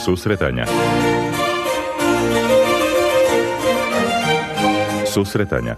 Susretanja. Susretanja.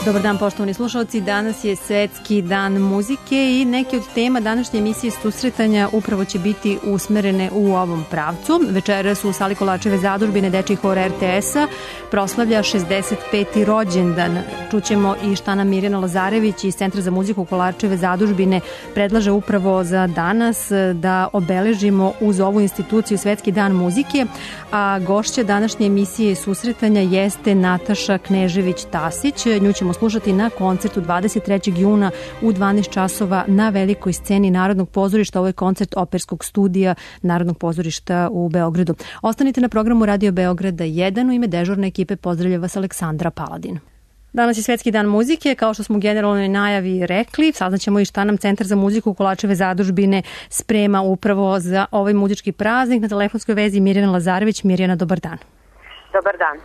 Dobar dan, poštovani slušalci. Danas je Svetski dan muzike i neke od tema današnje emisije Susretanja upravo će biti usmerene u ovom pravcu. Večeras u sali Kolarčeve zadužbine Dečiji hor RTS-a proslavlja 65. rođendan. Čućemo i šta nam Mirjana Lazarević iz Centra za muziku Kolarčeve zadužbine predlaže upravo za danas da obeležimo uz ovu instituciju Svetski dan muzike, a gošća današnje emisije Susretanja jeste Nataša Knežević-Tasić. Nju ćemo slušati na koncertu 23. juna u 12 časova na velikoj sceni Narodnog pozorišta. Ovo je koncert Operskog studija Narodnog pozorišta u Beogradu. Ostanite na programu Radio Beograda 1. U ime dežurne ekipe pozdravlja vas Aleksandra Paladin. Danas je Svetski dan muzike, kao što smo u generalnoj najavi rekli. Saznaćemo i šta nam Centar za muziku Kolarčeve zadužbine sprema upravo za ovaj muzički praznik. Na telefonskoj vezi Mirjana Lazarević. Mirjana, dobar dan. Dobar dan.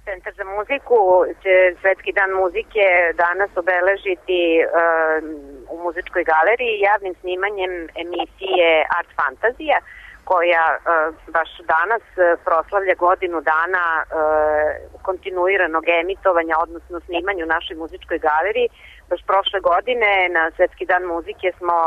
Centar za muziku će Svetski dan muzike danas obeležiti u muzičkoj galeriji javnim snimanjem emisije Art Fantazija, koja baš danas proslavlja godinu dana kontinuiranog emitovanja, odnosno snimanja u našoj muzičkoj galeriji. Baš prošle godine na Svetski dan muzike smo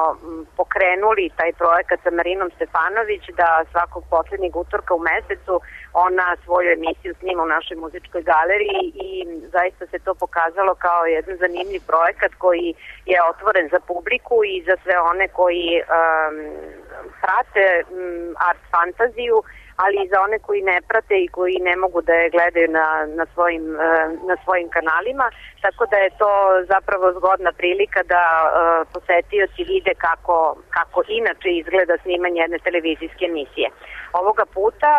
pokrenuli taj projekat sa Marinom Stefanović da svakog poslednjeg utorka u mesecu ona svoju emisiju snima u našoj muzičkoj galeriji i zaista se to pokazalo kao jedan zanimljiv projekat koji je otvoren za publiku i za sve one koji prate art fantaziju, ali i za one koji ne prate i koji ne mogu da je gledaju na svojim kanalima, tako da je to zapravo zgodna prilika da posetioci vide kako inače izgleda snimanje jedne televizijske emisije. Ovoga puta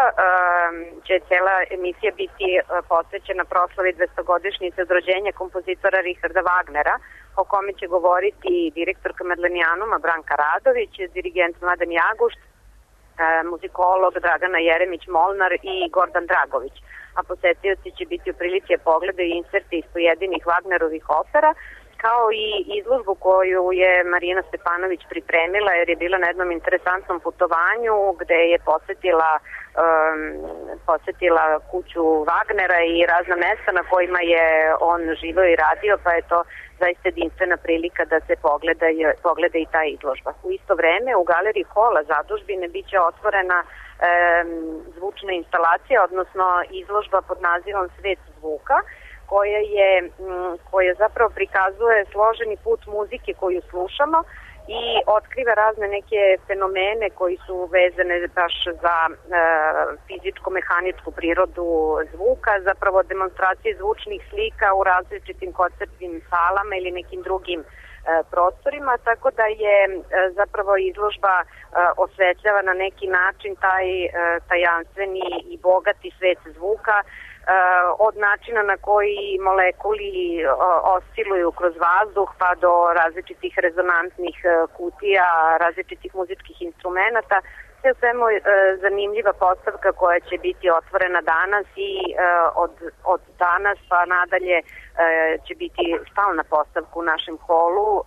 će cela emisija biti posvećena proslavi 200-godišnjice od rođenja kompozitora Richarda Wagnera, o kome će govoriti direktorka Medlenijanuma Branka Radović, dirigent Mladen Jagušt, muzikolog Dragana Jeremić-Molnar i Gordan Dragović. A posetioci će biti u prilici da pogledaju inserti iz pojedinih Wagnerovih opera, kao i izložbu koju je Marina Stefanović pripremila, jer je bila na jednom interesantnom putovanju gde je posetila kuću Wagnera i razna mesta na kojima je on živeo i radio, pa je to zaista jedinstvena prilika da se pogleda i ta izložba. U isto vreme u galeriji Hola zadužbine biće otvorena zvučna instalacija, odnosno izložba pod nazivom Svet zvuka, koja zapravo prikazuje složeni put muzike koju slušamo i otkriva razne neke fenomene koji su vezane baš za fizičko-mehaničku prirodu zvuka, zapravo demonstracije zvučnih slika u različitim koncertnim salama ili nekim drugim prostorima, tako da je zapravo izložba osvetljava na neki način taj tajanstveni i bogati svet zvuka, od načina na koji molekuli osciluju kroz vazduh pa do različitih rezonantnih kutija, različitih muzičkih instrumenta. Sve u svemu zanimljiva postavka koja će biti otvorena danas i od danas pa nadalje će biti stalna postavka u našem holu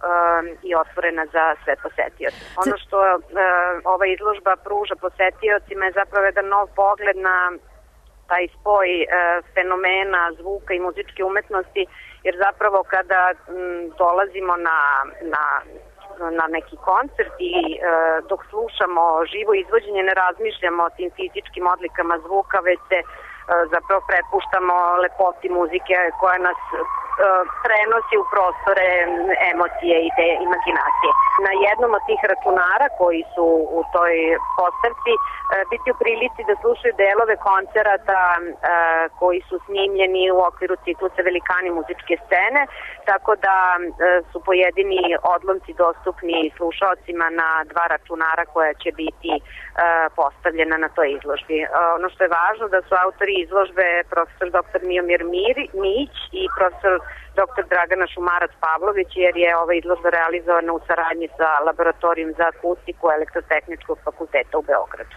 i otvorena za sve posetioce. Ono što ova izložba pruža posetiocima je zapravo jedan nov pogled na taj spoj fenomena zvuka i muzičke umetnosti, jer zapravo kada dolazimo na neki koncert i dok slušamo živo izvođenje ne razmišljamo o tim fizičkim odlikama zvuka, već se zapravo prepuštamo lepoti muzike koja nas prenosi u prostore emocije i te imaginacije. Na jednom od tih računara koji su u toj postavci biti u prilici da slušaju delove koncerata koji su snimljeni u okviru ciklusa Velikani muzičke scene, tako da su pojedini odlomci dostupni slušaocima na dva računara koja će biti postavljena na toj izložbi. Ono što je važno da su autori izložbe profesor dr. Miomir Mijić i profesor dr. Dragana Šumarac-Pavlović, jer je ova izložba realizovana u saradnji sa Laboratorijom za akustiku Elektrotehničkog fakulteta u Beogradu.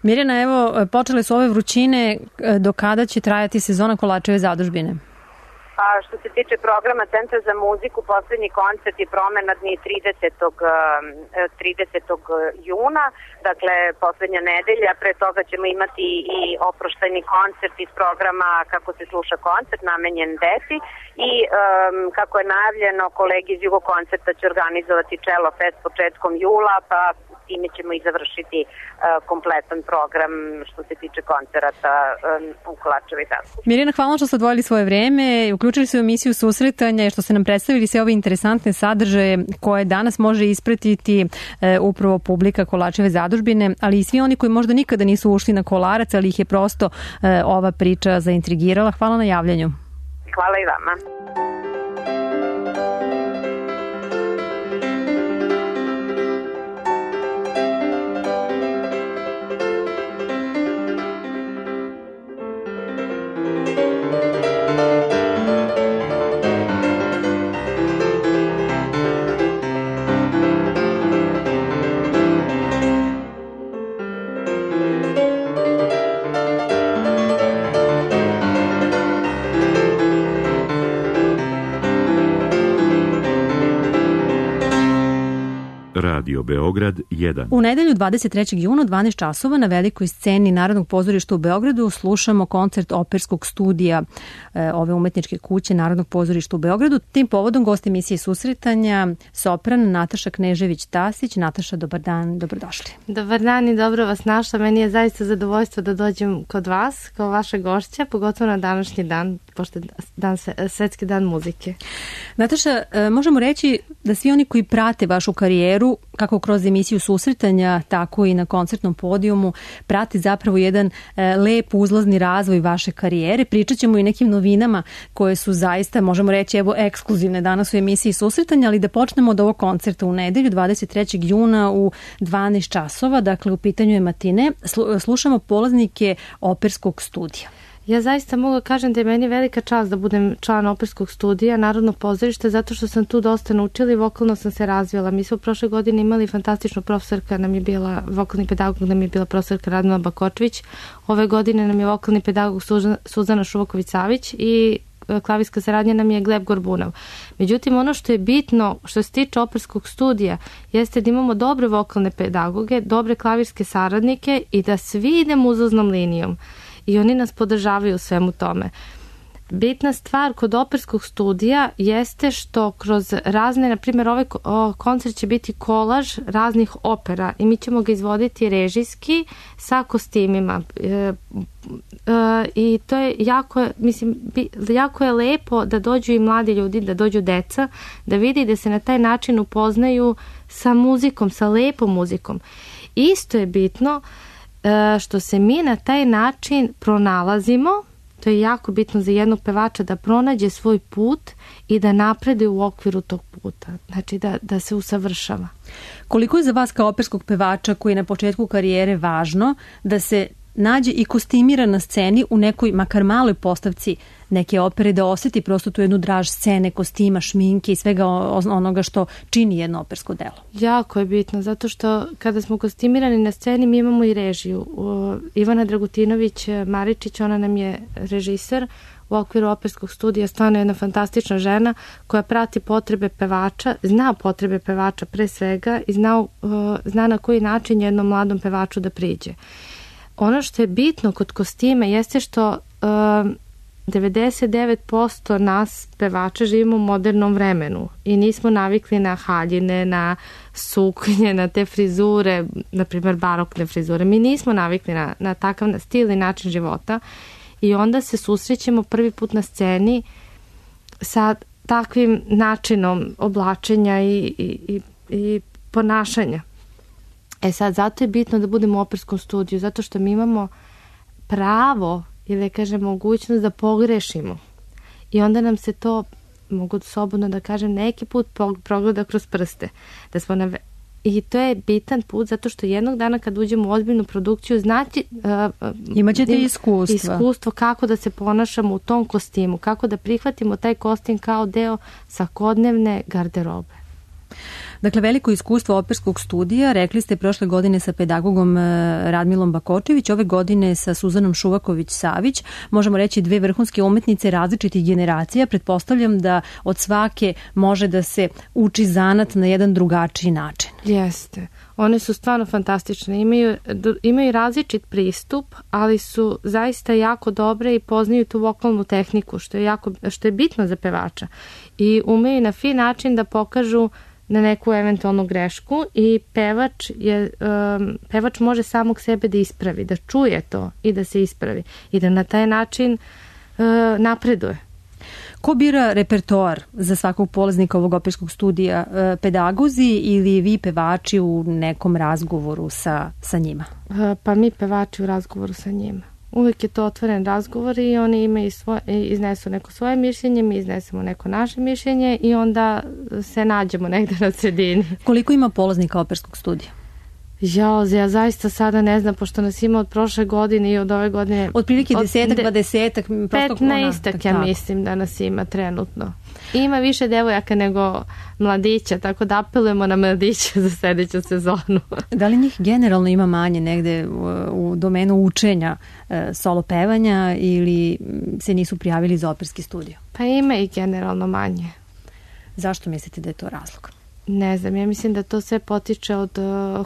Mirjana, evo, počele su ove vrućine, do kada će trajati sezona Kolarčeve zadužbine? A što se tiče programa Centra za muziku, poslednji koncert je Promenadni 30. juna, dakle poslednja nedelja. Pre toga ćemo imati i oproštajni koncert iz programa Kako se sluša koncert, namenjen deci i kako je najavljeno, kolegi iz Jugo koncerta će organizovati Cello Fest početkom jula, pa time ćemo i završiti kompletan program što se tiče koncerata u Kolarčevoj zadužbi. Mirjana, hvala što ste odvojili svoje vreme, uključili se u emisiju Susretanja i što ste nam predstavili sve ove interesantne sadržaje koje danas može ispratiti upravo publika Kolarčeve zadužbine, ali i svi oni koji možda nikada nisu ušli na Kolarac, ali ih je prosto ova priča zaintrigirala. Hvala na javljanju. Hvala i vama. Radio Beograd 1. U nedelju 23. juna 12 časova na velikoj sceni Narodnog pozorišta u Beogradu slušamo koncert operskog studija ove umetničke kuće Narodnog pozorišta u Beogradu. Tim povodom gost emisije Susretanja sopran Nataša Knežević-Tasić. Nataša, dobar dan, dobrodošli. Dobar dan i dobro vas našla. Meni je zaista zadovoljstvo da dođem kod vas kao vaša gošća, pogotovo na današnji dan, pošto je Svetski dan muzike. Nataša, možemo reći da svi oni koji prate vašu karijeru, kako kroz emisiju Susretanja, tako i na koncertnom podijumu, prati zapravo jedan lep uzlazni razvoj vaše karijere. Pričat ćemo i nekim novinama koje su zaista, možemo reći, evo, ekskluzivne danas u emisiji Susretanja, ali da počnemo od ovog koncerta u nedelju 23. juna u 12 časova, dakle u pitanju je matine. Slušamo polaznike operskog studija. Ja zaista mogu kažem da je meni velika čast da budem član operskog studija Narodnog pozorišta, zato što sam tu dosta naučila i vokalno sam se razvila. Mi smo prošle godine imali fantastičnu profesorka, nam je bila vokalni pedagog, nam je bila profesorka Radmila Bakočević. Ove godine nam je vokalni pedagog Suzana Šuvaković-Savić i klavirska saradnja nam je Gleb Gorbunov. Međutim, ono što je bitno što se tiče operskog studija jeste da imamo dobre vokalne pedagoge, dobre klavirske saradnike i da svi idemo uzlaznom linijom. I oni nas podržavaju u svemu tome. Bitna stvar kod operskog studija jeste što kroz razne, na primjer ovaj koncert će biti kolaž raznih opera i mi ćemo ga izvoditi režijski sa kostimima. I to je jako je lepo da dođu i mladi ljudi, da dođu deca, da vidi da se na taj način upoznaju sa muzikom, sa lepom muzikom. Isto je bitno što se mi na taj način pronalazimo, to je jako bitno za jednog pevača da pronađe svoj put i da napreduje u okviru tog puta, znači da se usavršava. Koliko je za vas kao operskog pevača koji je na početku karijere važno da se nađe i kostimira na sceni u nekoj makar maloj postavci neke opere, da osjeti prosto tu jednu draž scene, kostima, šminke i svega onoga što čini jedno opersko delo? Jako je bitno, zato što kada smo kostimirani na sceni mi imamo i režiju. Ivana Dragutinović-Maričić, ona nam je režiser u okviru operskog studija, stvarno jedna fantastična žena koja prati potrebe pevača, zna potrebe pevača pre svega i zna na koji način jednom mladom pevaču da priđe. Ono što je bitno kod kostima jeste što 99% nas pevača živimo u modernom vremenu i nismo navikli na haljine, na suknje, na te frizure, na primjer barokne frizure. Mi nismo navikli na takav stil i način života i onda se susrećemo prvi put na sceni sa takvim načinom oblačenja i ponašanja. Sad, zato je bitno da budemo u operskom studiju, zato što mi imamo pravo ili da kažem mogućnost da pogrešimo. I onda nam se to, mogu slobodno da kažem, neki put progleda kroz prste. I to je bitan put zato što jednog dana kad uđemo u ozbiljnu produkciju imaćete iskustvo kako da se ponašamo u tom kostimu, kako da prihvatimo taj kostim kao deo svakodnevne garderobe. Dakle, veliko iskustvo operskog studija, rekli ste prošle godine sa pedagogom Radmilom Bakočević, ove godine sa Suzanom Šuvaković-Savić, možemo reći dve vrhunske umetnice različitih generacija. Pretpostavljam da od svake može da se uči zanat na jedan drugačiji način. Jeste. One su stvarno fantastične. Imaju različit pristup, ali su zaista jako dobre i poznaju tu vokalnu tehniku, što je bitno za pevača. I umeju na fin način da pokažu na neku eventualnu grešku i pevač može samog sebe da ispravi, da čuje to i da se ispravi i da na taj način napreduje. Ko bira repertoar za svakog polaznika ovog operskog studija? Pedagozi ili vi pevači u nekom razgovoru sa njima? Pa mi pevači u razgovoru sa njima. Uvijek je to otvoren razgovor i oni imaju iznesu neko svoje mišljenje, mi iznesemo neko naše mišljenje i onda se nađemo negde na sredini. Koliko ima polaznika operskog studija? Ja zaista sada ne znam, pošto nas ima od prošle godine i od ove godine... Otprilike 10-20. 15 ja mislim da nas ima trenutno. Ima više devojaka nego mladića, tako da apelujemo na mladića za sljedeću sezonu. Da li njih generalno ima manje negde u domenu učenja solo pevanja ili se nisu prijavili za operski studio? Pa ima i generalno manje. Zašto mislite da je to razlog? Ne znam, ja mislim da to sve potiče od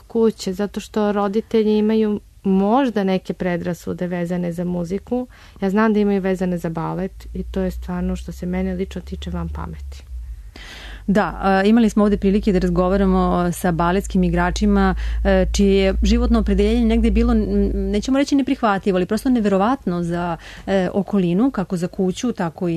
kuće, zato što roditelji imaju možda neke predrasude vezane za muziku. Ja znam da imaju vezane za balet i to je stvarno što se mene lično tiče van pameti. Da, imali smo ovde prilike da razgovaramo sa baletskim igračima čije je životno opredeljenje negde bilo, nećemo reći neprihvatljivo, ali prosto neverovatno za okolinu, kako za kuću, tako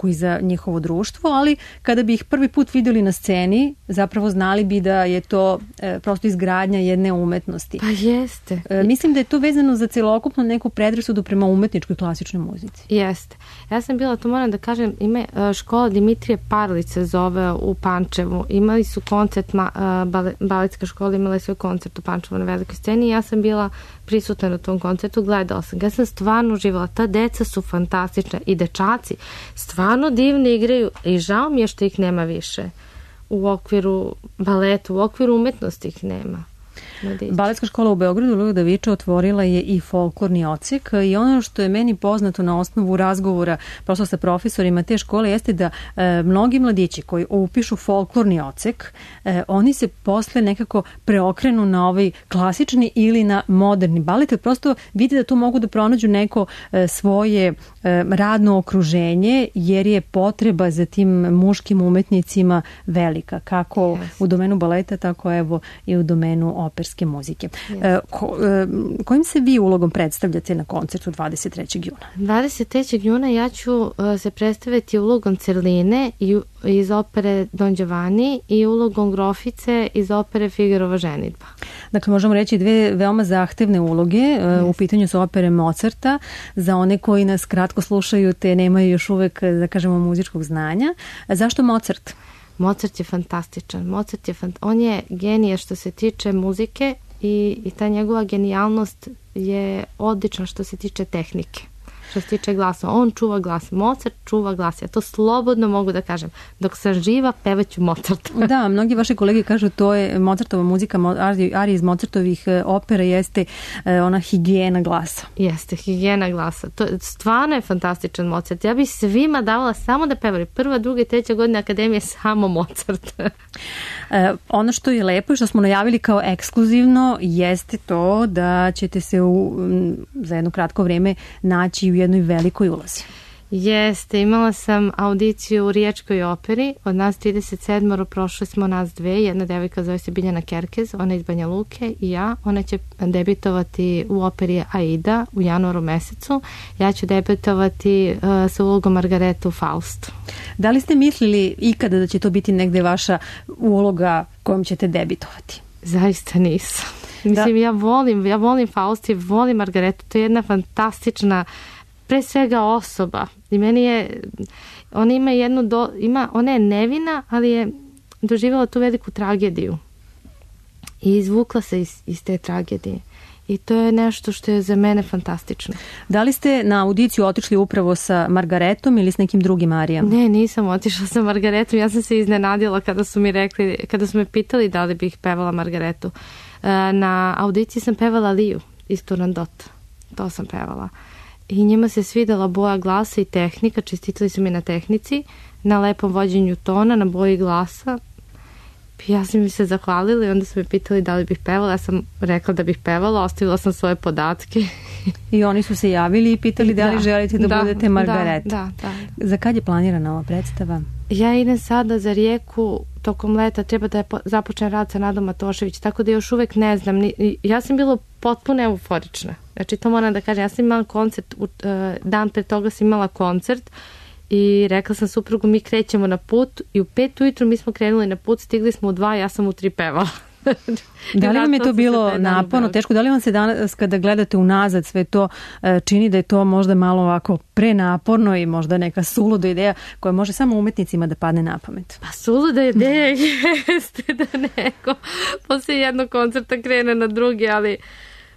i za njihovo društvo, ali kada bi ih prvi put videli na sceni, zapravo znali bi da je to prosto izgradnja jedne umetnosti. Pa jeste. Mislim da je to vezano za celokupno neku predrasudu prema umetničkoj klasičnoj muzici. Jeste. Ja sam bila, to moram da kažem, ima škola Dimitrije Parlice zove u Pančevu. Imali su koncert, baletska škola imala je svoj koncert u Pančevu na velikoj sceni i ja sam bila prisutna na tom koncertu, gledala sam ga. Ja sam stvarno uživala. Ta deca su fantastična i dečaci stvarno divno igraju i žao mi je što ih nema više u okviru baleta, u okviru umetnosti ih nema. Baletska škola u Beogradu Luda Viča otvorila je i folklorni odsek i ono što je meni poznato na osnovu razgovora prosto sa profesorima te škole jeste da mnogi mladići koji upišu folklorni odsek, oni se posle nekako preokrenu na ovaj klasični ili na moderni balet, prosto vide da tu mogu da pronađu neko svoje radno okruženje jer je potreba za tim muškim umetnicima velika, kako u domenu baleta, tako evo i u domenu operske muzike. Kojim se vi ulogom predstavljate na koncertu 23. juna? 23. juna ja ću se predstaviti ulogom Cerline iz opere Don Giovanni i ulogom Grofice iz opere Figarova ženidba. Dakle, možemo reći dve veoma zahtevne uloge. U pitanju su opere Mozarta. Za one koji nas kratko slušaju te nemaju još uvek, da kažemo, muzičkog znanja. Zašto Mozart? Mozart je fantastičan. On je genije što se tiče muzike i ta njegova genijalnost je odlična što se tiče tehnike. Što se tiče glasa. On čuva glas. Mozart čuva glas. Ja to slobodno mogu da kažem. Dok sam živa, pevaću Mozarta. Da, mnogi vaši kolege kažu to je Mozartova muzika, arija iz Mozartovih opera jeste ona higijena glasa. Jeste, higijena glasa. To stvarno je fantastičan Mozart. Ja bih svima davala samo da pevali. 1., 2. i 3. godina akademije samo Mozart. Ono što je lepo i što smo najavili kao ekskluzivno jeste to da ćete se za jedno kratko vreme naći u jednoj velikoj ulozi. Jeste, imala sam audiciju u Riječkoj operi, od nas 37, prošle smo nas dve, jedna devojka zove se Biljana Kerkez, ona iz Banja Luke i ja, ona će debitovati u operi Aida u januaru mesecu, ja ću debitovati sa ulogom Margarete u Faustu. Da li ste mislili ikada da će to biti negde vaša uloga kojom ćete debitovati? Zaista nisam. Mislim, ja volim Faustu i volim Margaretu, to je jedna fantastična pre svega osoba i meni je ona ima ona je nevina, ali je doživjela tu veliku tragediju i izvukla se iz te tragedije i to je nešto što je za mene fantastično. Da li ste na audiciju otišli upravo sa Margaretom ili s nekim drugim arijama? Ne, nisam otišla sa Margaretom, ja sam se iznenadila kada su mi rekli, kada su me pitali da li bih pevala Margaretu. Na audiciji sam pevala Liju iz Turandota, to sam pevala. I njima se svidela boja glasa i tehnika, čestitali su mi na tehnici, na lepom vođenju tona, na boji glasa. Ja sam mi se zahvalila i onda su me pitali da li bih pevala. Ja sam rekla da bih pevala, ostavila sam svoje podatke. I oni su se javili i pitali da li želite da budete Margareta. Da. Za kad je planirana ova predstava? Ja idem sada za Rijeku tokom leta, treba da započnem rad sa Nadom Matošević, tako da još uvek ne znam. Ja sam bila potpuno euforična. Znači, to moram da kažem. Ja sam imala koncert, dan pre toga sam imala koncert i rekla sam suprugu, mi krećemo na put i u 5 ujutru mi smo krenuli na put, stigli smo u 2, ja sam u 3 pevala. Da li vam je to bilo naporno, teško? Da li vam se danas kada gledate unazad sve to čini da je to možda malo ovako prenaporno i možda neka suluda ideja koja može samo umetnicima da padne na pamet? Pa suluda ideja jeste da neko posle jednog koncerta krene na drugi, ali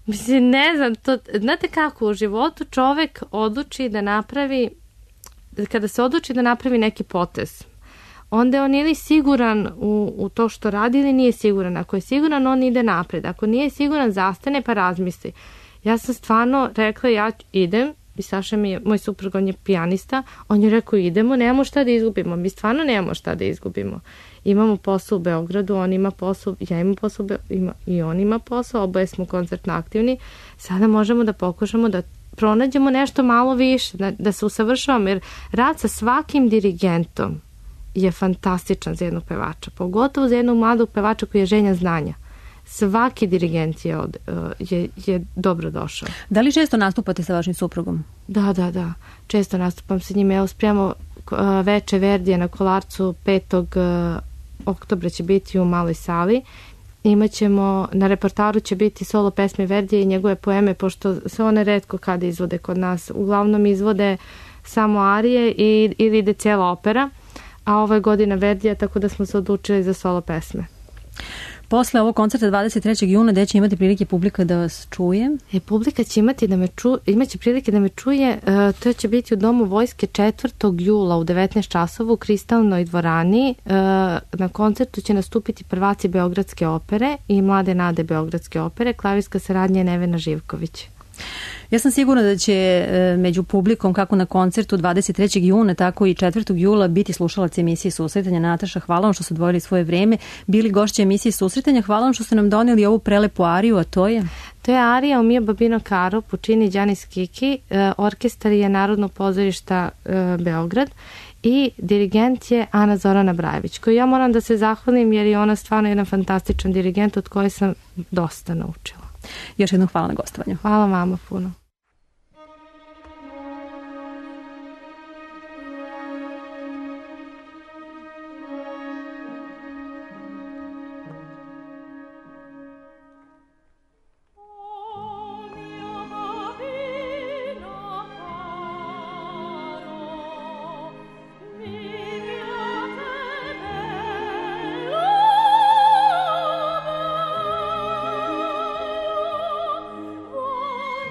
mislim, ne znam, to, znate kako u životu čovek odluči da napravi, kada se odluči da napravi neki potez, onda je on ili siguran u to što radi ili nije siguran. Ako je siguran, on ide napred. Ako nije siguran, zastane pa razmisli. Ja sam stvarno rekla, ja idem, i Saša mi je, moj suprug, on je pijanista, on je rekao idemo, nemamo šta da izgubimo. Mi stvarno nemamo šta da izgubimo. Imamo posao u Beogradu, on ima posao, ja imam posao i on ima posao, oboje smo koncertno aktivni. Sada možemo da pokušamo da pronađemo nešto malo više, da se usavršavamo, jer rad sa svakim dirigentom je fantastičan za jednog pevača, pogotovo za jednog mladog pevača koji je želja znanja. Svaki dirigent je dobro došao. Da li često nastupate sa vašim suprugom? Da. Često nastupam sa njim. Evo, spremamo veče Verdija na Kolarcu 5. oktobra će biti u maloj sali. Imaćemo, na repertoaru će biti solo pesme Verdija i njegove poeme, pošto se one retko kada izvode kod nas. Uglavnom izvode samo arije ili ide cijela opera, a ovo je godina Verdija, tako da smo se odlučili za solo pesme. Posle ovog koncerta 23. juna, gde će imati prilike publika da vas čuje? Publika će imaće prilike da me čuje, to će biti u Domu vojske 4. jula u 19 časova u Kristalnoj dvorani. Na koncertu će nastupiti prvaci Beogradske opere i mlade nade Beogradske opere, klavirska saradnja Nevena Živković. Ja sam sigurna da će među publikom, kako na koncertu 23. juna, tako i 4. jula biti slušalac emisije Susretanja. Nataša, hvala vam što ste odvojili svoje vreme. Bili gošće emisije Susretanja. Hvala vam što ste nam donijeli ovu prelepu ariju, a to je? To je arija Omija Babino Karo, Pučini Đanis Kiki, orkestar je Narodno pozorišta Beograd i dirigent je Ana Zorana Brajević, koju ja moram da se zahvalim jer je ona stvarno jedan fantastičan dirigent od koje sam dosta naučila. Još jednom hvala na gostovanju. Hvala vama puno.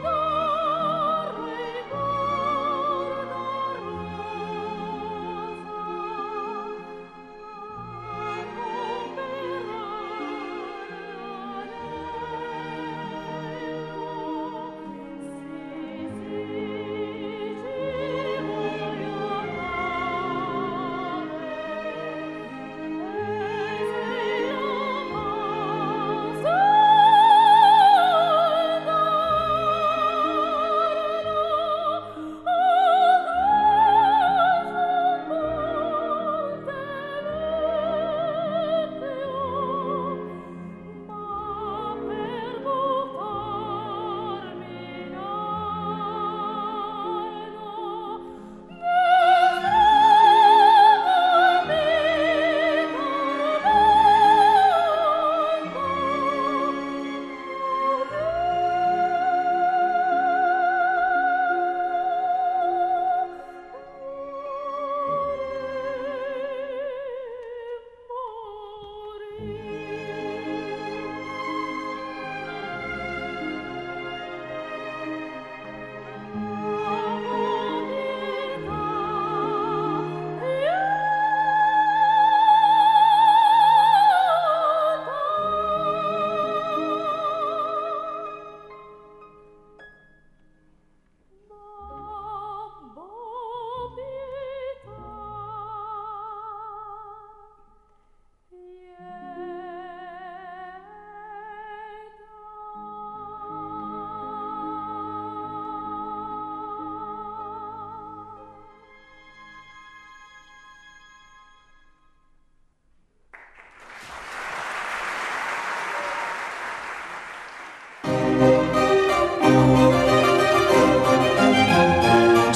Oh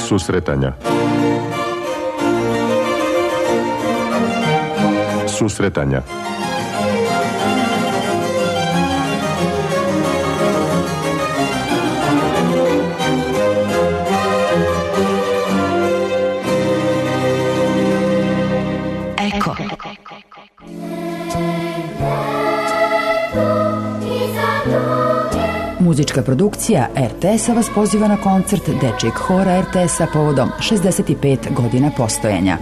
Susretanja. Susretanja. Eko. Muzička produkcija RTS-a vas poziva na koncert Dečijeg hora RTS-a povodom 65 godina postojanja.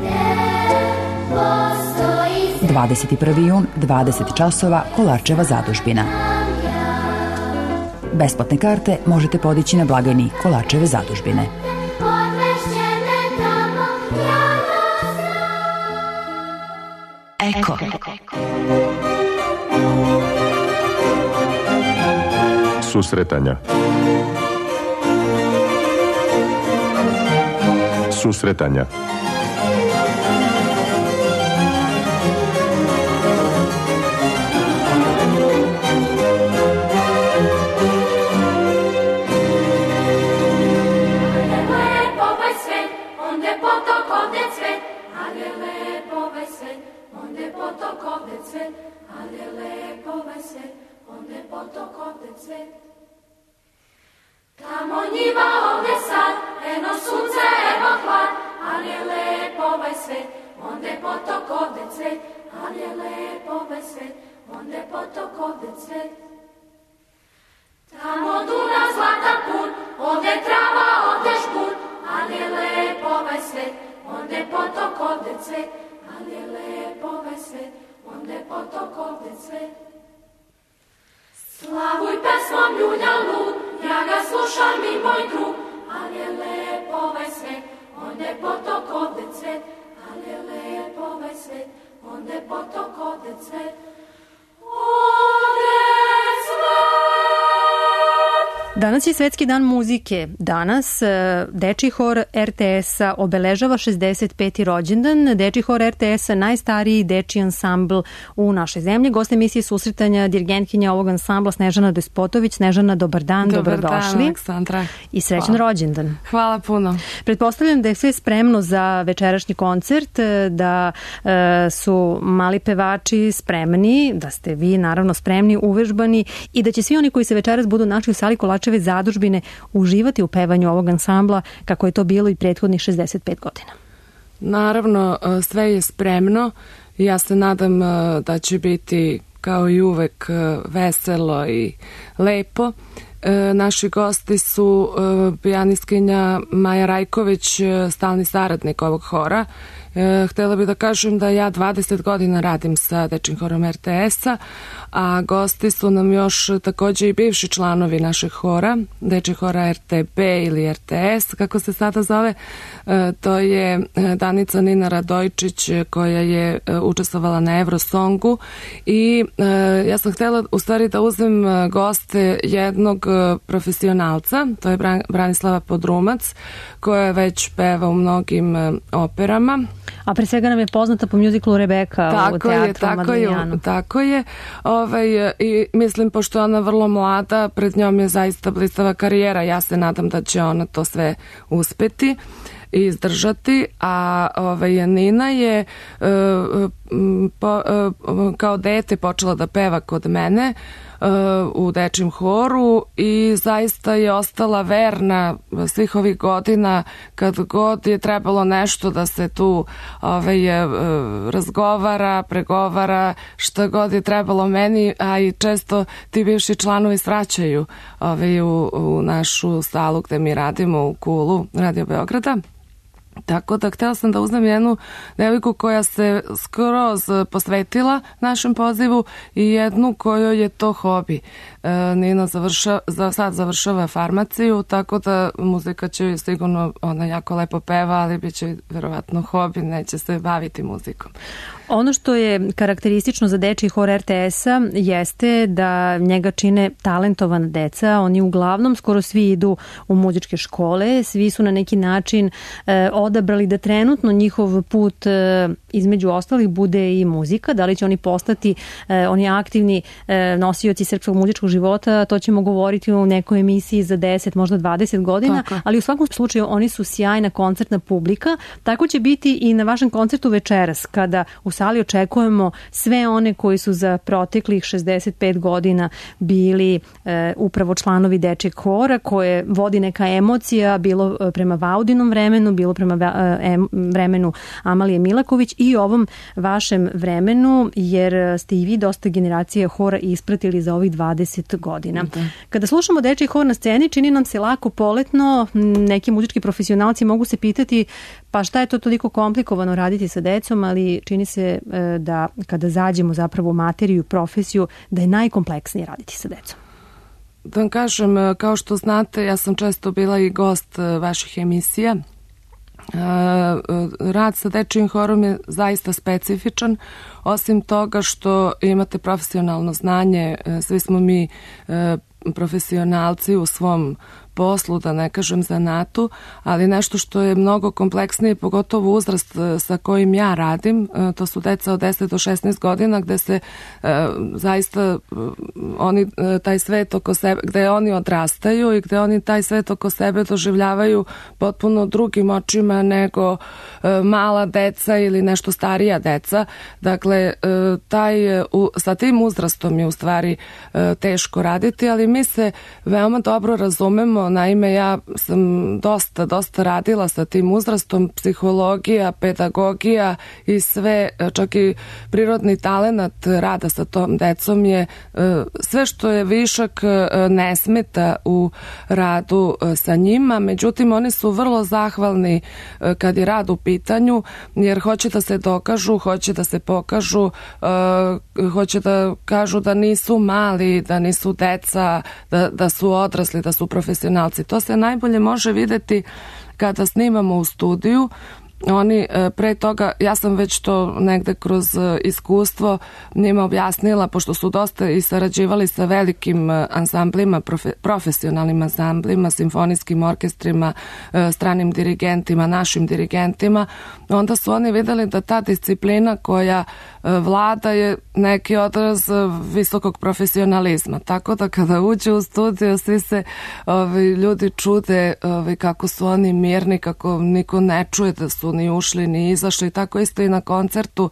21. jun, 20 časova, Kolarčeva zadužbina. Besplatne karte možete podići na blagajni Kolarčeve zadužbine. Eko. Susretanja. Susretanja. Tamo njiva, ovdje sad, eno sunce, evo hlad, ali je lepo ovaj svet, onde potok, ovdje cvet, ali je lepo ovaj svet, onde potok, ovdje cvet. Tamo Dunav, zlatan put, ovdje trava, ovdje šput, ali je lepo ovaj svet, onde potok, ovdje cvet, ali je lepo ovaj svet, onde potok, ovdje cvet. Slavuj pesmom ljulja lud, ja ga slušam i moj drug, ali je lepo ovaj svet, onde potok, ovde cvet, ali je lepo ovaj svet, onde potok, ovde cvet, ovde cvet. Danas je Svetski dan muzike. Danas Dečiji hor RTS-a obeležava 65. rođendan. Dečiji hor RTS-a najstariji dečiji ansambl u našoj zemlji. Gost emisije Susretanja, dirigentkinja ovog ansambla Snežana Despotović. Snežana, dobar dan, dobrodošli. Dobar dan, Aleksandra. I srećan rođendan. Hvala puno. Pretpostavljam da je sve spremno za večerašnji koncert, da su mali pevači spremni, da ste vi naravno spremni, uvežbani i da će svi oni koji se večeras budu našli u sali Kolarčeve zadužbine uživati u pevanju ovog ansambla kako je to bilo i prethodnih 65 godina. Naravno, sve je spremno. Ja se nadam da će biti kao i uvek veselo i lepo. Naši gosti su pijanistkinja Maja Rajković, stalni saradnik ovog hora. Htela bih da kažem da ja 20 godina radim sa Dečijim horom RTS-a, a gosti su nam još takođe i bivši članovi našeg hora, Dečijeg hora RTB ili RTS, kako se sada zove. To je Danica Nina Radojčić koja je učestvovala na Eurosongu i ja sam htela u stvari da uzmem goste jednog profesionalca, to je Branislava Podrumac, koja već peva u mnogim operama. A pre svega nam je poznata po mjuziklu Rebeka u teatru Madlinjanu. Tako je. I mislim, pošto je ona vrlo mlada, pred njom je zaista blistava karijera. Ja se nadam da će ona to sve uspeti i izdržati, a Nina je kao dete počela da peva kod mene u Dečijem horu i zaista je ostala verna svih ovih godina kad god je trebalo nešto da se tu razgovara, pregovara, šta god je trebalo meni, a i često ti bivši članovi svraćaju u našu salu gde mi radimo u Kulu Radio Beograda. Tako da htela sam da uzmem jednu devojku koja se skroz posvetila našem pozivu i jednu kojoj je to hobi. Nina sad završava farmaciju, tako da muzika će sigurno, ona jako lepo peva, ali bit će verovatno hobi, neće se baviti muzikom. Ono što je karakteristično za Dečiji hor RTS-a jeste da njega čine talentovana deca. Oni uglavnom skoro svi idu u muzičke škole, svi su na neki način odabrali da trenutno njihov put između ostalih bude i muzika, da li će oni postati oni aktivni nosioci srpskog muzičkog života, to ćemo govoriti u nekoj emisiji za 10, možda 20 godina, ali u svakom slučaju oni su sjajna koncertna publika, tako će biti i na vašem koncertu večeras, kada u sali očekujemo sve one koji su za proteklih 65 godina bili upravo članovi dečjeg hora, koje vodi neka emocija, bilo prema Vaudinom vremenu, bilo prema vremenu Amalije Milaković i ovom vašem vremenu, jer ste i vi dosta generacije hora ispratili za ovih 20 godina. Kada slušamo dečji hor na sceni, čini nam se lako, poletno, neki muzički profesionalci mogu se pitati pa šta je to toliko komplikovano raditi sa decom, ali čini se da kada zađemo zapravo u materiju, profesiju, da je najkompleksnije raditi sa decom. Da vam kažem, kao što znate, ja sam često bila i gost vaših emisija. Rad sa dečjim horom je zaista specifičan, osim toga što imate profesionalno znanje, svi smo mi profesionalci u svom poslu, da ne kažem zanatu, ali nešto što je mnogo kompleksnije, pogotovo uzrast sa kojim ja radim, to su deca od 10 do 16 godina, gde se zaista oni taj svet oko sebe, gde oni odrastaju i gde oni taj svet oko sebe doživljavaju potpuno drugim očima nego mala deca ili nešto starija deca. Dakle, sa tim uzrastom je u stvari teško raditi, ali mi se veoma dobro razumemo. Naime, ja sam dosta radila sa tim uzrastom, psihologija, pedagogija i sve, čak i prirodni talenat rada sa tom decom je sve što je višak ne smeta u radu sa njima, međutim oni su vrlo zahvalni kad je rad u pitanju, jer hoće da se dokažu, hoće da se pokažu, hoće da kažu da nisu mali, da nisu deca, da su odrasli, da su profesionalci. To se najbolje može videti kada snimamo u studiju. Oni pre toga, ja sam već to negde kroz iskustvo njima objasnila, pošto su dosta i sarađivali sa velikim ansamblima, profesionalnim ansamblima, simfonijskim orkestrima, stranim dirigentima, našim dirigentima, onda su oni videli da ta disciplina koja vlada je neki odraz visokog profesionalizma. Tako da kada uđe u studiju, svi se ljudi čude kako su oni mirni, kako niko ne čuje da su ni ušli ni izašli, tako isto i na koncertu.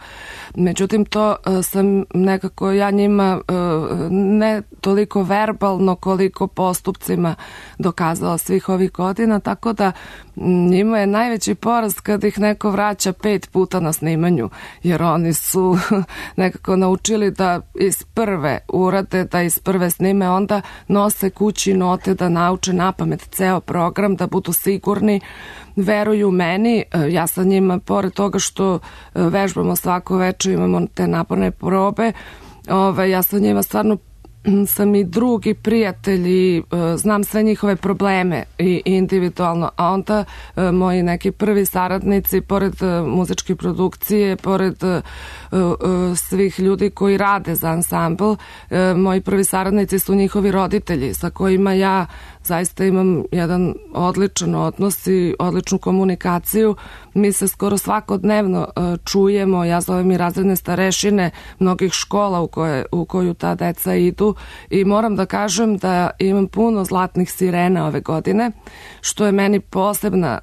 Međutim, to sam nekako ja njima ne toliko verbalno koliko postupcima dokazala svih ovih godina, tako da njima je najveći poraz kad ih neko vraća 5 puta na snimanju, jer oni su nekako naučili da iz prve urade, da iz prve snime, onda nose kući note, da nauče napamet ceo program, da budu sigurni, veruju meni. Ja sa njima, pored toga što vežbamo svako večer, imamo te naporne probe, ja sa njima stvarno sam i drugi prijatelji, znam sve njihove probleme i individualno, a onda moji neki prvi saradnici, pored muzičke produkcije, pored svih ljudi koji rade za ansambl, moji prvi saradnici su njihovi roditelji sa kojima ja zaista imam jedan odličan odnos i odličnu komunikaciju. Mi se skoro svakodnevno čujemo, ja zovem i razredne starešine mnogih škola u koju ta deca idu i moram da kažem da imam puno zlatnih sirena ove godine, što je meni posebna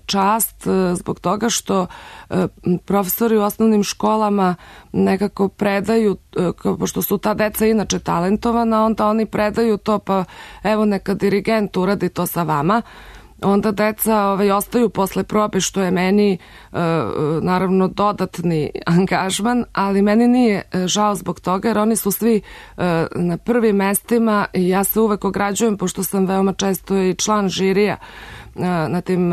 čast zbog toga što profesori u osnovnim školama nekako predaju, pošto su ta deca inače talentovana, onda oni predaju to, pa evo neka dirigent uradi to sa vama. Onda deca ostaju posle probe, što je meni naravno dodatni angažman, ali meni nije žao zbog toga, jer oni su svi na prvim mestima i ja se uvek ograđujem, pošto sam veoma često i član žirija na tim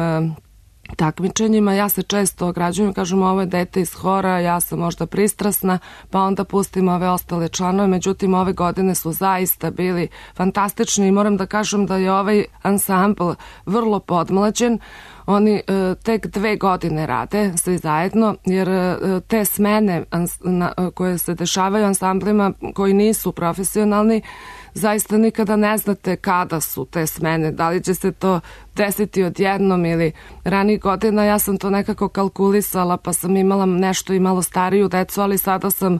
takmičenjima, ja se često ograđujem, kažem ovo je dete iz hora, ja sam možda pristrasna, pa onda pustim ove ostale članove, međutim ove godine su zaista bili fantastični i moram da kažem da je ovaj ansambl vrlo podmlađen. Oni tek 2 godine rade svi zajedno, jer te smene koje se dešavaju ansamblima koji nisu profesionalni, zaista nikada ne znate kada su te smene, da li će se to desiti odjednom ili ranijih godina. Ja sam to nekako kalkulisala, pa sam imala nešto i malo stariju decu, ali sada sam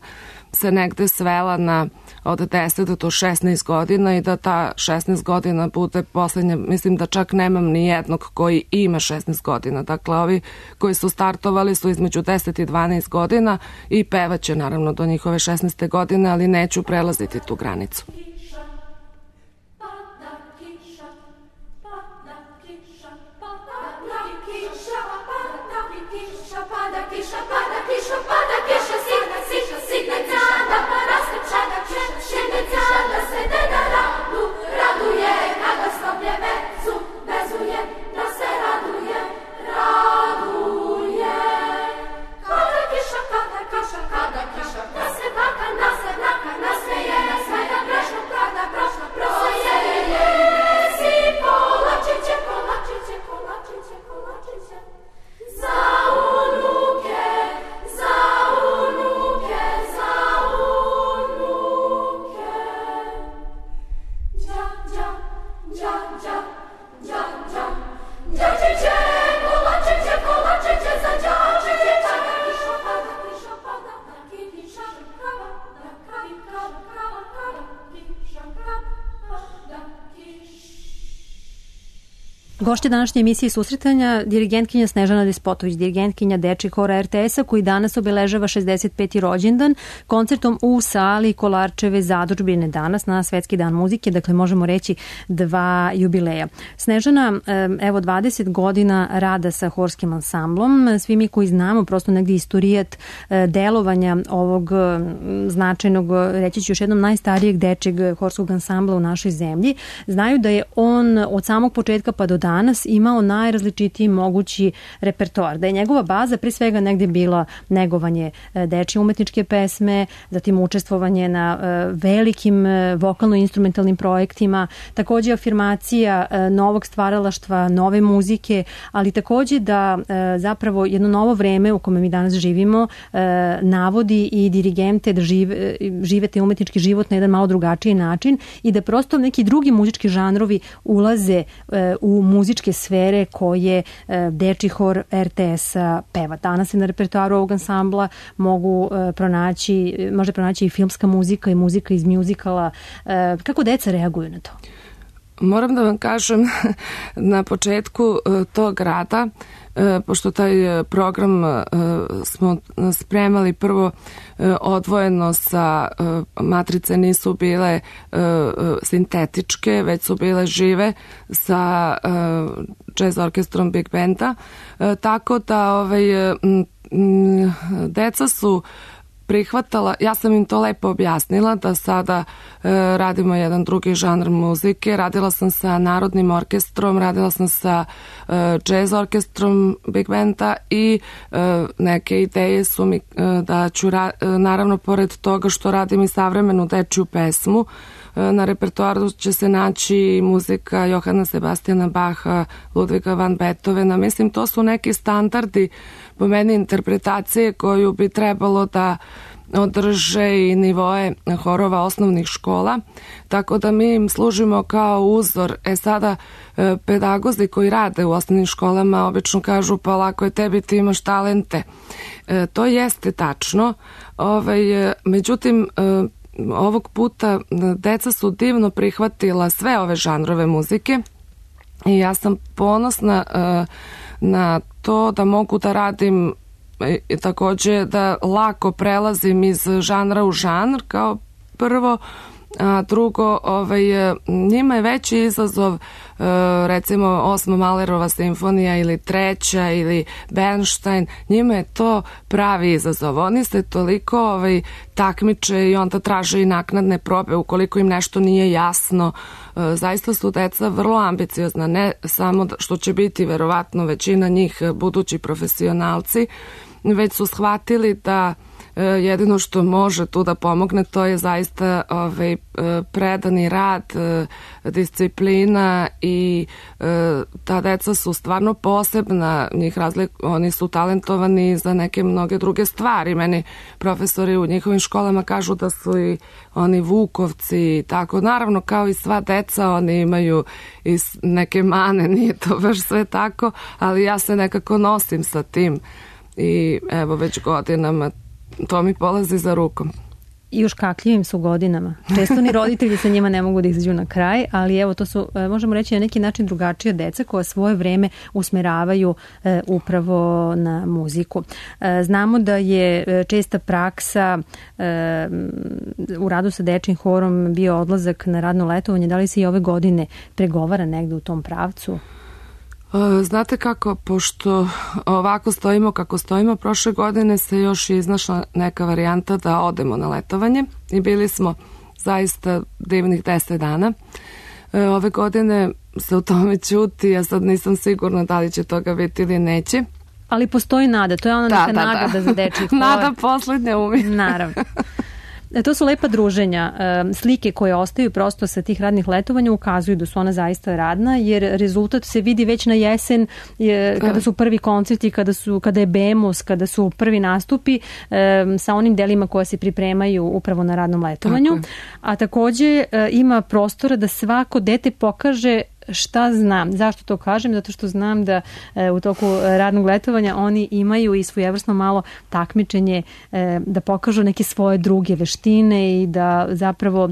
se negde svela na od 10 do 16 godina i da ta 16 godina bude poslednja. Mislim da čak nemam ni jednog koji ima 16 godina. Dakle, ovi koji su startovali su između 10 i 12 godina i pevaće naravno do njihove 16. godine, ali neću prelaziti tu granicu. Gošća današnje emisije susretanja dirigentkinja Snežana Despotović, dirigentkinja Dečijeg hora RTS-a koji danas obeležava 65. rođendan koncertom u sali Kolarčeve zadružbine danas na Svetski dan muzike, dakle možemo reći 2 jubileja. Snežana, evo 20 godina rada sa horskim ansamblom, svi mi koji znamo prosto negdje istorijat delovanja ovog značajnog, reći ću još jednom, najstarijeg dečijeg horskog ansambla u našoj zemlji, znaju da je on od samog početka pa do danas imao najrazličitiji mogući repertoar, da je njegova baza pre svega negdje bila negovanje dečje umetničke pesme, zatim učestvovanje na velikim vokalno-instrumentalnim projektima, također afirmacija novog stvaralaštva, nove muzike, ali također da zapravo jedno novo vreme u kome mi danas živimo navodi i dirigente da žive te umetnički život na jedan malo drugačiji način i da prosto neki drugi muzički žanrovi ulaze u muzičke sfere koje Dečiji hor RTS-a peva. Danas se na repertoaru ovog ansambla može pronaći i filmska muzika i muzika iz mjuzikala. Kako deca reaguju na to? Moram da vam kažem, na početku tog rada, pošto taj program smo spremali prvo odvojeno sa matrice, nisu bile sintetičke, već su bile žive sa jazz orkestrom Big Benda, tako da deca su prihvatala, ja sam im to lepo objasnila da sada radimo jedan drugi žanr muzike, radila sam sa Narodnim orkestrom, radila sam sa jazz orkestrom Big Benda i neke ideje su mi da ću, naravno pored toga što radim i savremenu dečju pesmu, na repertoaru će se naći muzika Johana Sebastijana Baha, Ludviga van Beethovena. Mislim, to su neki standardi po meni interpretacije koju bi trebalo da održe i nivoe horova osnovnih škola, tako da mi im služimo kao uzor. Sada pedagozi koji rade u osnovnim školama obično kažu pa lako je tebi, ti imaš talente. To jeste tačno, međutim ovog puta deca su divno prihvatila sve ove žanrove muzike i ja sam ponosna na to da mogu da radim i također da lako prelazim iz žanra u žanr kao prvo, a drugo, njima je veći izazov recimo 8. Mahlerova simfonija ili 3. ili Bernstein, njima je to pravi izazov. Oni se toliko takmiče i onda traže i naknadne probe ukoliko im nešto nije jasno. Zaista su deca vrlo ambiciozna, ne samo što će biti verovatno većina njih budući profesionalci, već su shvatili da jedino što može tu da pomogne to je zaista predani rad, disciplina i ta deca su stvarno posebna, oni su talentovani za neke mnoge druge stvari. Meni profesori u njihovim školama kažu da su i oni vukovci i tako. Naravno, kao i sva deca, oni imaju i neke mane, nije to baš sve tako, ali ja se nekako nosim sa tim i evo već godinama to mi polazi za rukom. I još kakljivim su godinama. Često ni roditelji sa njima ne mogu da izađu na kraj, ali evo to su, možemo reći, na neki način drugačije deca koja svoje vreme usmeravaju upravo na muziku. Znamo da je česta praksa u radu sa dečjim horom bio odlazak na radno letovanje. Da li se i ove godine pregovara negde u tom pravcu? Znate kako, pošto ovako stojimo kako stojimo, prošle godine se još iznašla neka varijanta da odemo na letovanje i bili smo zaista divnih 10 dana. Ove godine se u tome ćuti, ja sad nisam sigurna da li će toga biti ili neće. Ali postoji nada, to je ona neka nagrada za dečji hor. Nada poslednja umire. Naravno. To su lepa druženja. Slike koje ostaju prosto sa tih radnih letovanja ukazuju da su ona zaista radna, jer rezultat se vidi već na jesen kada su prvi koncerti, kada je Bemus, kada su prvi nastupi sa onim delima koja se pripremaju upravo na radnom letovanju. A takođe ima prostora da svako dete pokaže šta znam. Zašto to kažem? Zato što znam da u toku radnog letovanja oni imaju i svojevrsno malo takmičenje da pokažu neke svoje druge veštine i da zapravo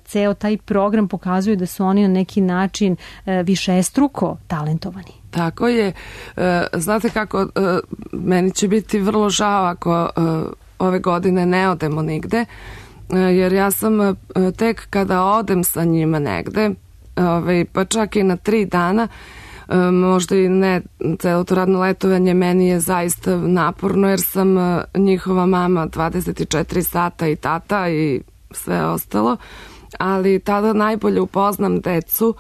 ceo taj program pokazuje da su oni na neki način višestruko talentovani. Tako je. Znate kako, meni će biti vrlo žao ako ove godine ne odemo nigde, jer ja sam tek kada odem sa njima negde, pa čak i na 3 dana, možda i ne celo to radno letovanje, meni je zaista naporno jer sam njihova mama 24 sata i tata i sve ostalo, ali tada najbolje upoznam decu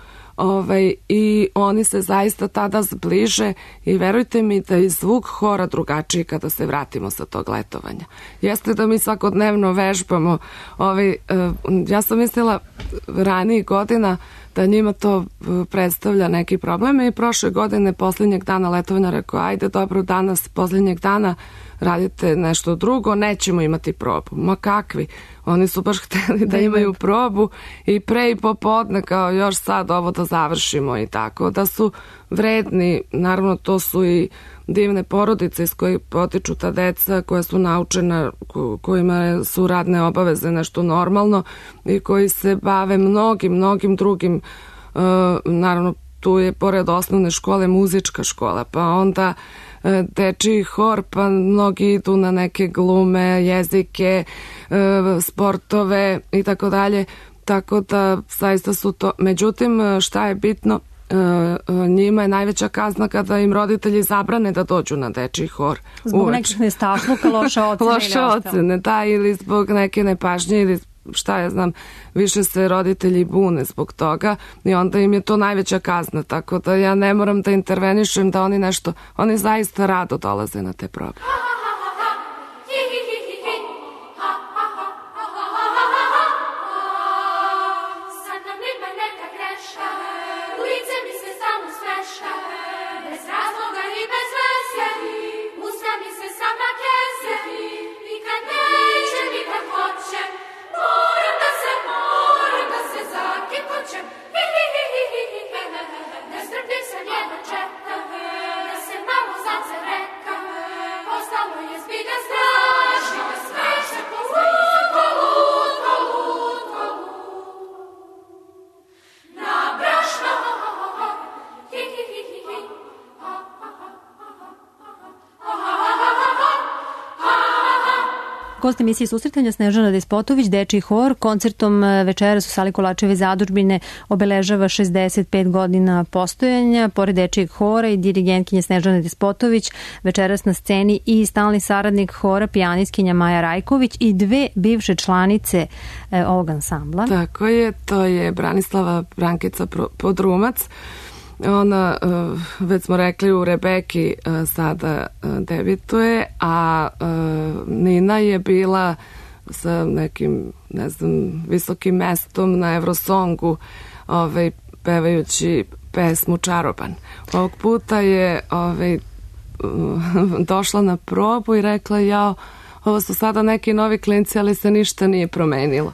i oni se zaista tada zbliže i verujte mi da je zvuk hora drugačiji kada se vratimo sa tog letovanja. Jeste da mi svakodnevno vežbamo, ja sam mislila ranijih godina da njima to predstavlja neki problem i prošle godine posljednjeg dana letovanja rekao, ajde dobro, danas posljednjeg dana radite nešto drugo, nećemo imati probu. Ma kakvi? Oni su baš hteli da imaju probu i pre i popodne kao još sad ovo da završimo i tako. Da su vredni, naravno to su i divne porodice iz kojih potiču ta deca koja su naučena, kojima su radne obaveze nešto normalno i koji se bave mnogim drugim, naravno tu je pored osnovne škole muzička škola, pa onda dečiji hor, pa mnogi idu na neke glume, jezike, sportove i tako dalje, tako da zaista su to. Međutim, šta je bitno, njima je najveća kazna kada im roditelji zabrane da dođu na dečiji hor. Zbog nekih nestašluka, loše ocene. Loše ocene, da, ili zbog neke nepažnje ili šta ja znam, više se roditelji bune zbog toga i onda im je to najveća kazna, tako da ja ne moram da intervenišem da oni zaista rado dolaze na te probe. Gost emisije Susretanja Snežana Despotović, dečiji hor, koncertom večeras u sali Kolačeve zadužbine obeležava 65 godina postojanja. Pored dečijeg hora i dirigentkinje Snežana Despotović, večeras na sceni i stalni saradnik hora, pijanistkinja Maja Rajković i 2 bivše članice ovog ansambla. Tako je, to je Branislava Brankica Podrumac Ona, već smo rekli, u Rebeki sada debituje, a Nina je bila sa nekim, ne znam, visokim mestom na Eurosongu, pevajući pesmu Čaroban. Ovog puta je došla na probu i rekla, jao, ovo su sada neki novi klinci, ali se ništa nije promenilo.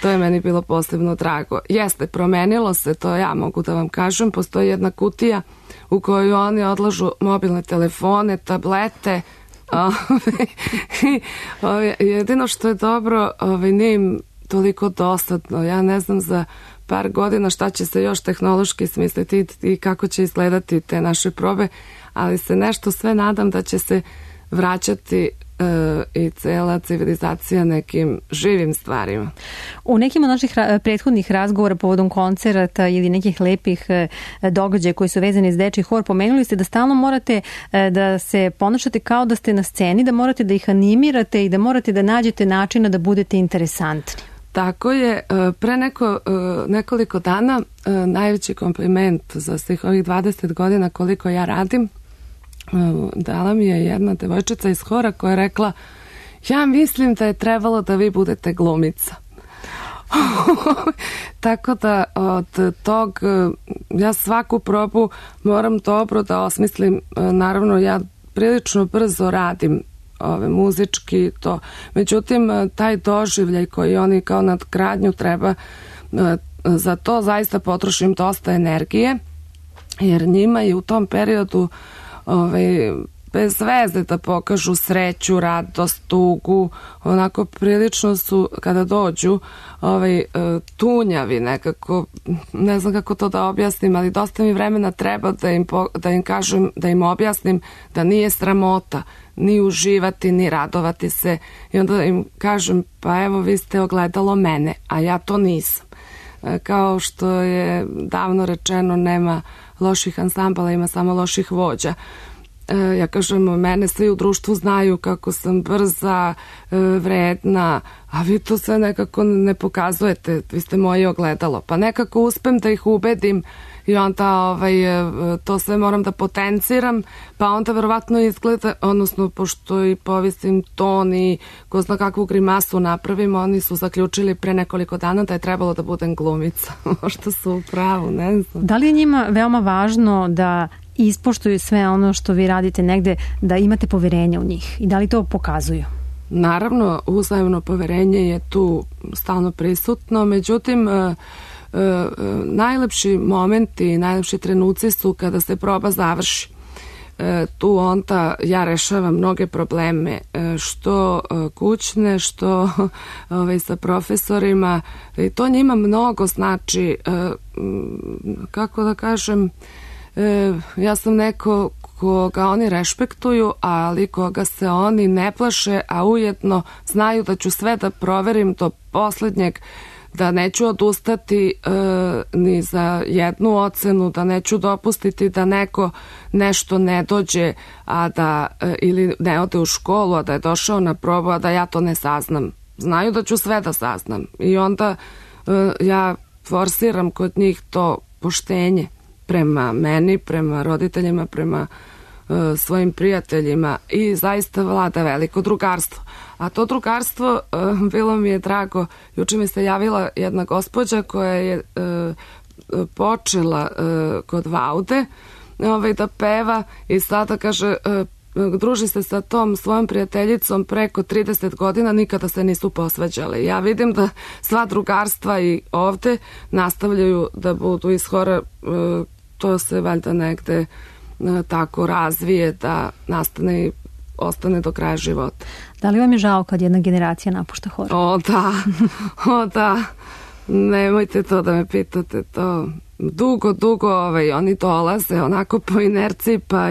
To je meni bilo posebno drago. Jeste, promenilo se, to ja mogu da vam kažem. Postoji jedna kutija u kojoj oni odlažu mobilne telefone, tablete. Jedino što je dobro, nije im toliko dosadno. Ja ne znam za par godina šta će se još tehnološki smisliti i kako će izgledati te naše probe, ali se nešto sve nadam da će se vraćati i cela civilizacija nekim živim stvarima. U nekim od naših prethodnih razgovora povodom koncerata ili nekih lepih događaja koji su vezani s dečiji hor, pomenuli ste da stalno morate da se ponašate kao da ste na sceni, da morate da ih animirate i da morate da nađete načina da budete interesantni. Tako je. Pre nekoliko dana najveći kompliment za svih ovih 20 godina koliko ja radim dala mi je jedna devojčica iz hora koja je rekla, ja mislim da je trebalo da vi budete glumica. Tako da od tog ja svaku probu moram dobro da osmislim. Naravno, ja prilično brzo radim muzički to. Međutim, taj doživljaj koji oni kao nadgradnju treba, za to zaista potrošim dosta energije, jer njima je u tom periodu bez veze da pokažu sreću, radost, tugu, onako prilično su kada dođu tunjavi nekako, ne znam kako to da objasnim, ali dosta mi vremena treba da im kažem, da im objasnim da nije sramota ni uživati, ni radovati se, i onda im kažem, pa evo vi ste ogledalo mene, a ja to nisam. Kao što je davno rečeno, nema loših ansambala, ima samo loših vođa. Ja kažem, mene svi u društvu znaju kako sam brza, vredna, a vi to sve nekako ne pokazujete, vi ste moje ogledalo. Pa nekako uspem da ih ubedim i onda to sve moram da potenciram, pa onda verovatno izgleda, odnosno pošto i povisim ton i ko zna kakvu grimasu napravim, oni su zaključili pre nekoliko dana da je trebalo da budem glumica. Možda su u pravu, ne znam. Da li je njima veoma važno da ispoštuju sve ono što vi radite negde, da imate poverenje u njih i da li to pokazuju? Naravno, uzajemno poverenje je tu stalno prisutno, međutim najlepši momenti, najlepši trenuci su kada se proba završi. Tu onda ja rešavam mnoge probleme, što kućne, što sa profesorima, i to njima mnogo znači. Kako da kažem, ja sam neko koga oni rešpektuju, ali koga se oni ne plaše, a ujedno znaju da ću sve da proverim do poslednjeg, da neću odustati ni za jednu ocenu, da neću dopustiti da neko nešto ne dođe, a da ili ne ode u školu, a da je došao na probu, a da ja to ne saznam. Znaju da ću sve da saznam i onda ja forsiram kod njih to poštenje prema meni, prema roditeljima, prema svojim prijateljima, i zaista vlada veliko drugarstvo. A to drugarstvo, bilo mi je drago, juče mi se javila jedna gospođa koja je počela kod Vaude da peva i sada kaže, druži se sa tom svojom prijateljicom preko 30 godina, nikada se nisu posvađale. Ja vidim da sva drugarstva i ovde nastavljaju da budu iz hora, to se valjda negde tako razvije da nastane i ostane do kraja života. Da li vam je žao kad jedna generacija napušta hor? O da, nemojte to da me pitate, to dugo oni dolaze onako po inerciji, pa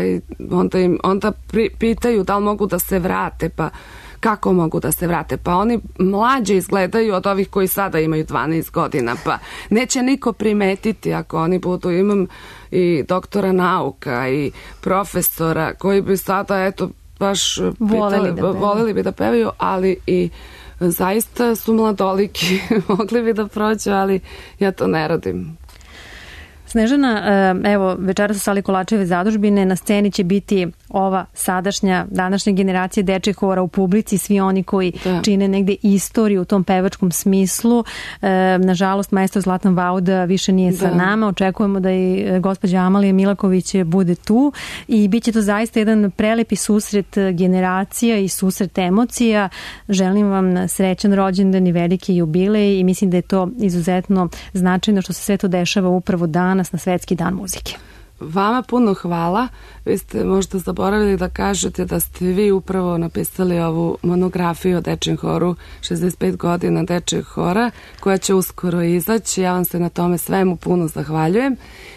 onda pitaju da li mogu da se vrate, pa kako mogu da se vrate, pa oni mlađe izgledaju od ovih koji sada imaju 12 godina, pa neće niko primetiti ako oni budu. Imam i doktora nauka i profesora koji bi sada baš voleli bi da pevaju, ali i zaista su mladoliki, mogli bi da prođu, ali ja to ne radim. Snežana, evo, večeras u sali Kolačeve zadužbine, na sceni će biti ova današnja generacija dečjeg hora u publici, svi oni koji čine negde istoriju u tom pevačkom smislu. Nažalost, maestro Zlatan Vauda više nije sa nama. Očekujemo da i gospođa Amalija Milaković bude tu i bit će to zaista jedan prelepi susret generacija i susret emocija. Želim vam srećan rođendan i veliki jubilej i mislim da je to izuzetno značajno što se sve to dešava upravo danas na Svetski dan muzike. Vama puno hvala. Vi ste možda zaboravili da kažete da ste vi upravo napisali ovu monografiju o dečjem horu, 65 godina dečjeg hora, koja će uskoro izaći. Ja vam se na tome svemu puno zahvaljujem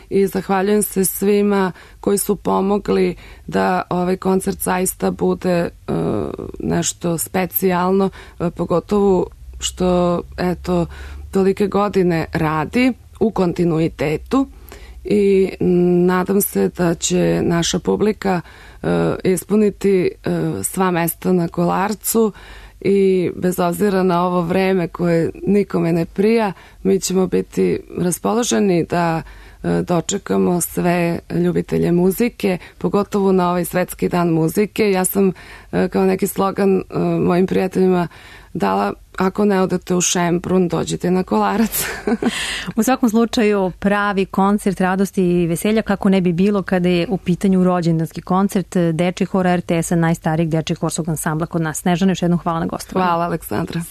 i zahvaljujem se svima koji su pomogli da ovaj koncert zaista bude nešto specijalno, pogotovo što tolike godine radi u kontinuitetu. I nadam se da će naša publika ispuniti sva mesta na Kolarcu i bez obzira na ovo vreme koje nikome ne prija, mi ćemo biti raspoloženi da dočekamo sve ljubitelje muzike, pogotovo na ovaj Svetski dan muzike. Ja sam kao neki slogan mojim prijateljima dala: ako ne odete u Šembrun, dođite na Kolarac. U svakom slučaju pravi koncert radosti i veselja, kako ne bi bilo kada je u pitanju rođendanski koncert dečjeg hora RTS-a, najstarijeg dečjeg horskog ansambla kod nas. Snežana, još jednom hvala na gostovanju. Hvala, Aleksandra.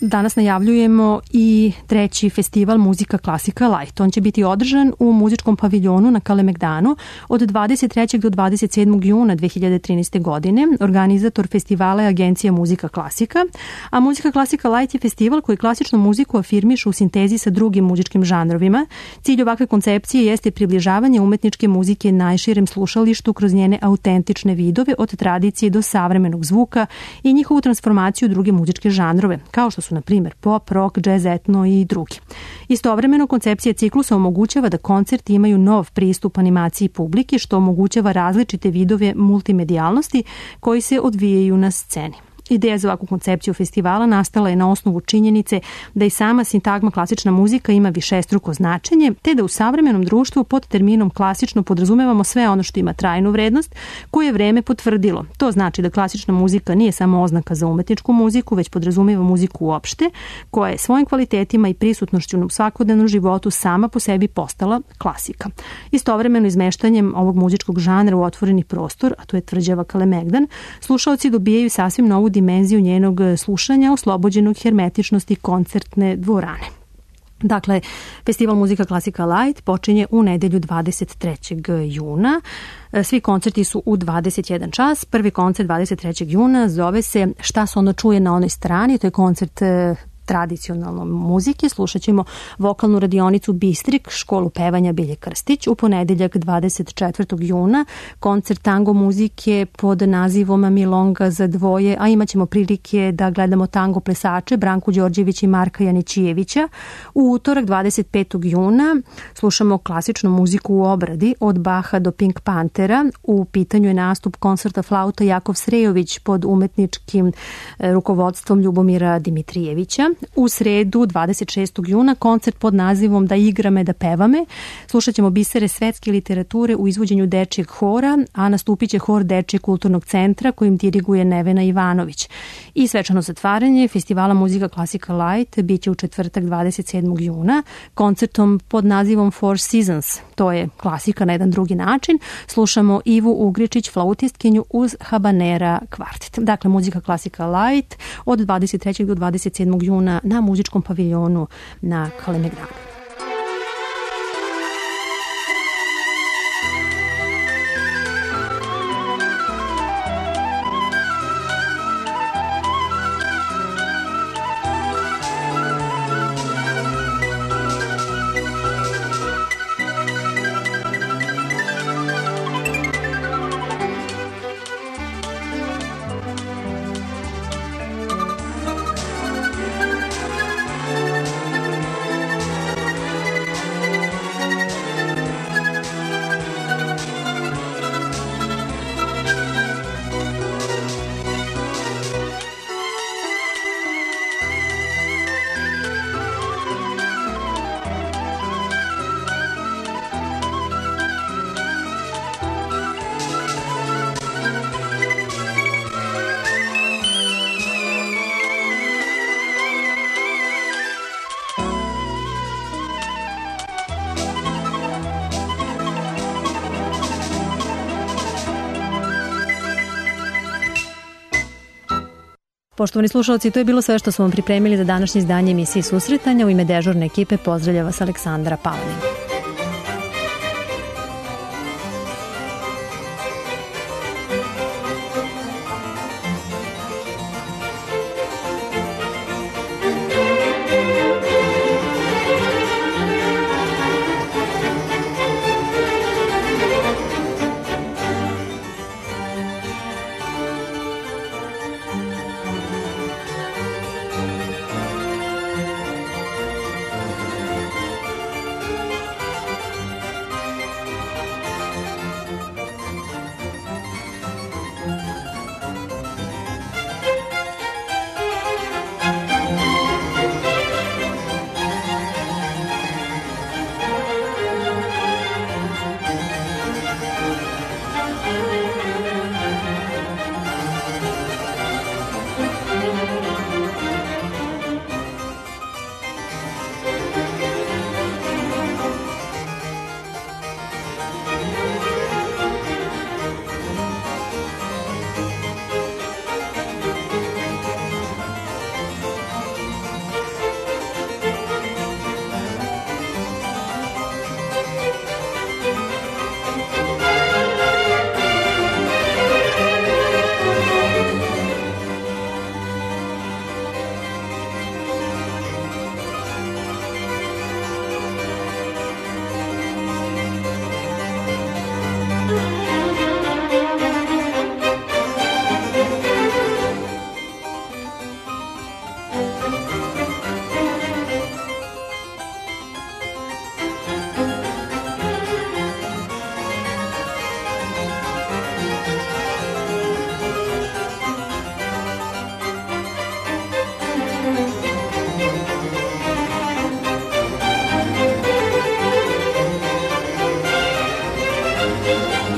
Danas najavljujemo i treći festival Muzika Klasika Light. On će biti održan u muzičkom paviljonu na Kalemegdanu od 23. do 27. juna 2013. godine. Organizator festivala je agencija Muzika Klasika, a Muzika Klasika Light je festival koji klasičnu muziku afirmiše u sintezi sa drugim muzičkim žanrovima. Cilj ovakve koncepcije jeste približavanje umetničke muzike najširem slušalištu kroz njene autentične vidove od tradicije do savremenog zvuka i njihovu transformaciju u druge muzičke žanrove, kao što su na primjer pop, rock, jazz, etno i drugi. Istovremeno, koncepcija ciklusa omogućava da koncerti imaju nov pristup animaciji publike, što omogućava različite vidove multimedijalnosti koji se odvijaju na sceni. Ideja za ovakvu koncepciju festivala nastala je na osnovu činjenice da i sama sintagma klasična muzika ima višestruko značenje, te da u savremenom društvu pod terminom klasično podrazumevamo sve ono što ima trajnu vrednost, koju je vreme potvrdilo. To znači da klasična muzika nije samo oznaka za umetničku muziku, već podrazumeva muziku uopšte, koja je svojim kvalitetima i prisutnošću u svakodnevnom životu sama po sebi postala klasika. Istovremeno izmeštanjem ovog muzičkog žanra u otvoreni prostor, a to je tvrđava Kalemegdan, slušaoci dobijaju sasvim novu dimenziju njenog slušanja oslobođenog hermetičnosti koncertne dvorane. Dakle, Festival Muzika Klasika Light počinje u nedelju 23. juna. Svi koncerti su u 21 čas. Prvi koncert 23. juna zove se Šta se ono čuje na onoj strani. To je koncert tradicionalne muzike. Slušat ćemo vokalnu radionicu Bistrik, školu pevanja Bilje Krstić. U ponedeljak 24. juna koncert tango muzike pod nazivom Milonga za dvoje, a imat ćemo prilike da gledamo tango plesače Branku Đorđević i Marka Janićijevića. U utorak 25. juna slušamo klasičnu muziku u obradi od Baha do Pink Panthera. U pitanju je nastup koncerta flauta Jakov Srejović pod umetničkim rukovodstvom Ljubomira Dimitrijevića. U sredu 26. juna koncert pod nazivom Da igra me, da peva me. Slušat ćemo bisere svetske literature u izvođenju dečijeg hora, a nastupit će hor Dečijeg kulturnog centra kojim diriguje Nevena Ivanović. I svečano zatvaranje Festivala Muzika Klasika Light biće u četvrtak 27. juna koncertom pod nazivom Four Seasons. To je klasika na jedan drugi način. Slušamo Ivu Ugričić, flautistkinju uz Habanera kvartet. Dakle, Muzika Klasika Light od 23. do 27. juna na muzičkom paviljonu na Kalemegdanu. Poštovani slušalci, to je bilo sve što smo vam pripremili za današnje izdanje emisije Susretanja. U ime dežurne ekipe pozdravlja vas Aleksandra Palanin.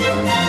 Thank you.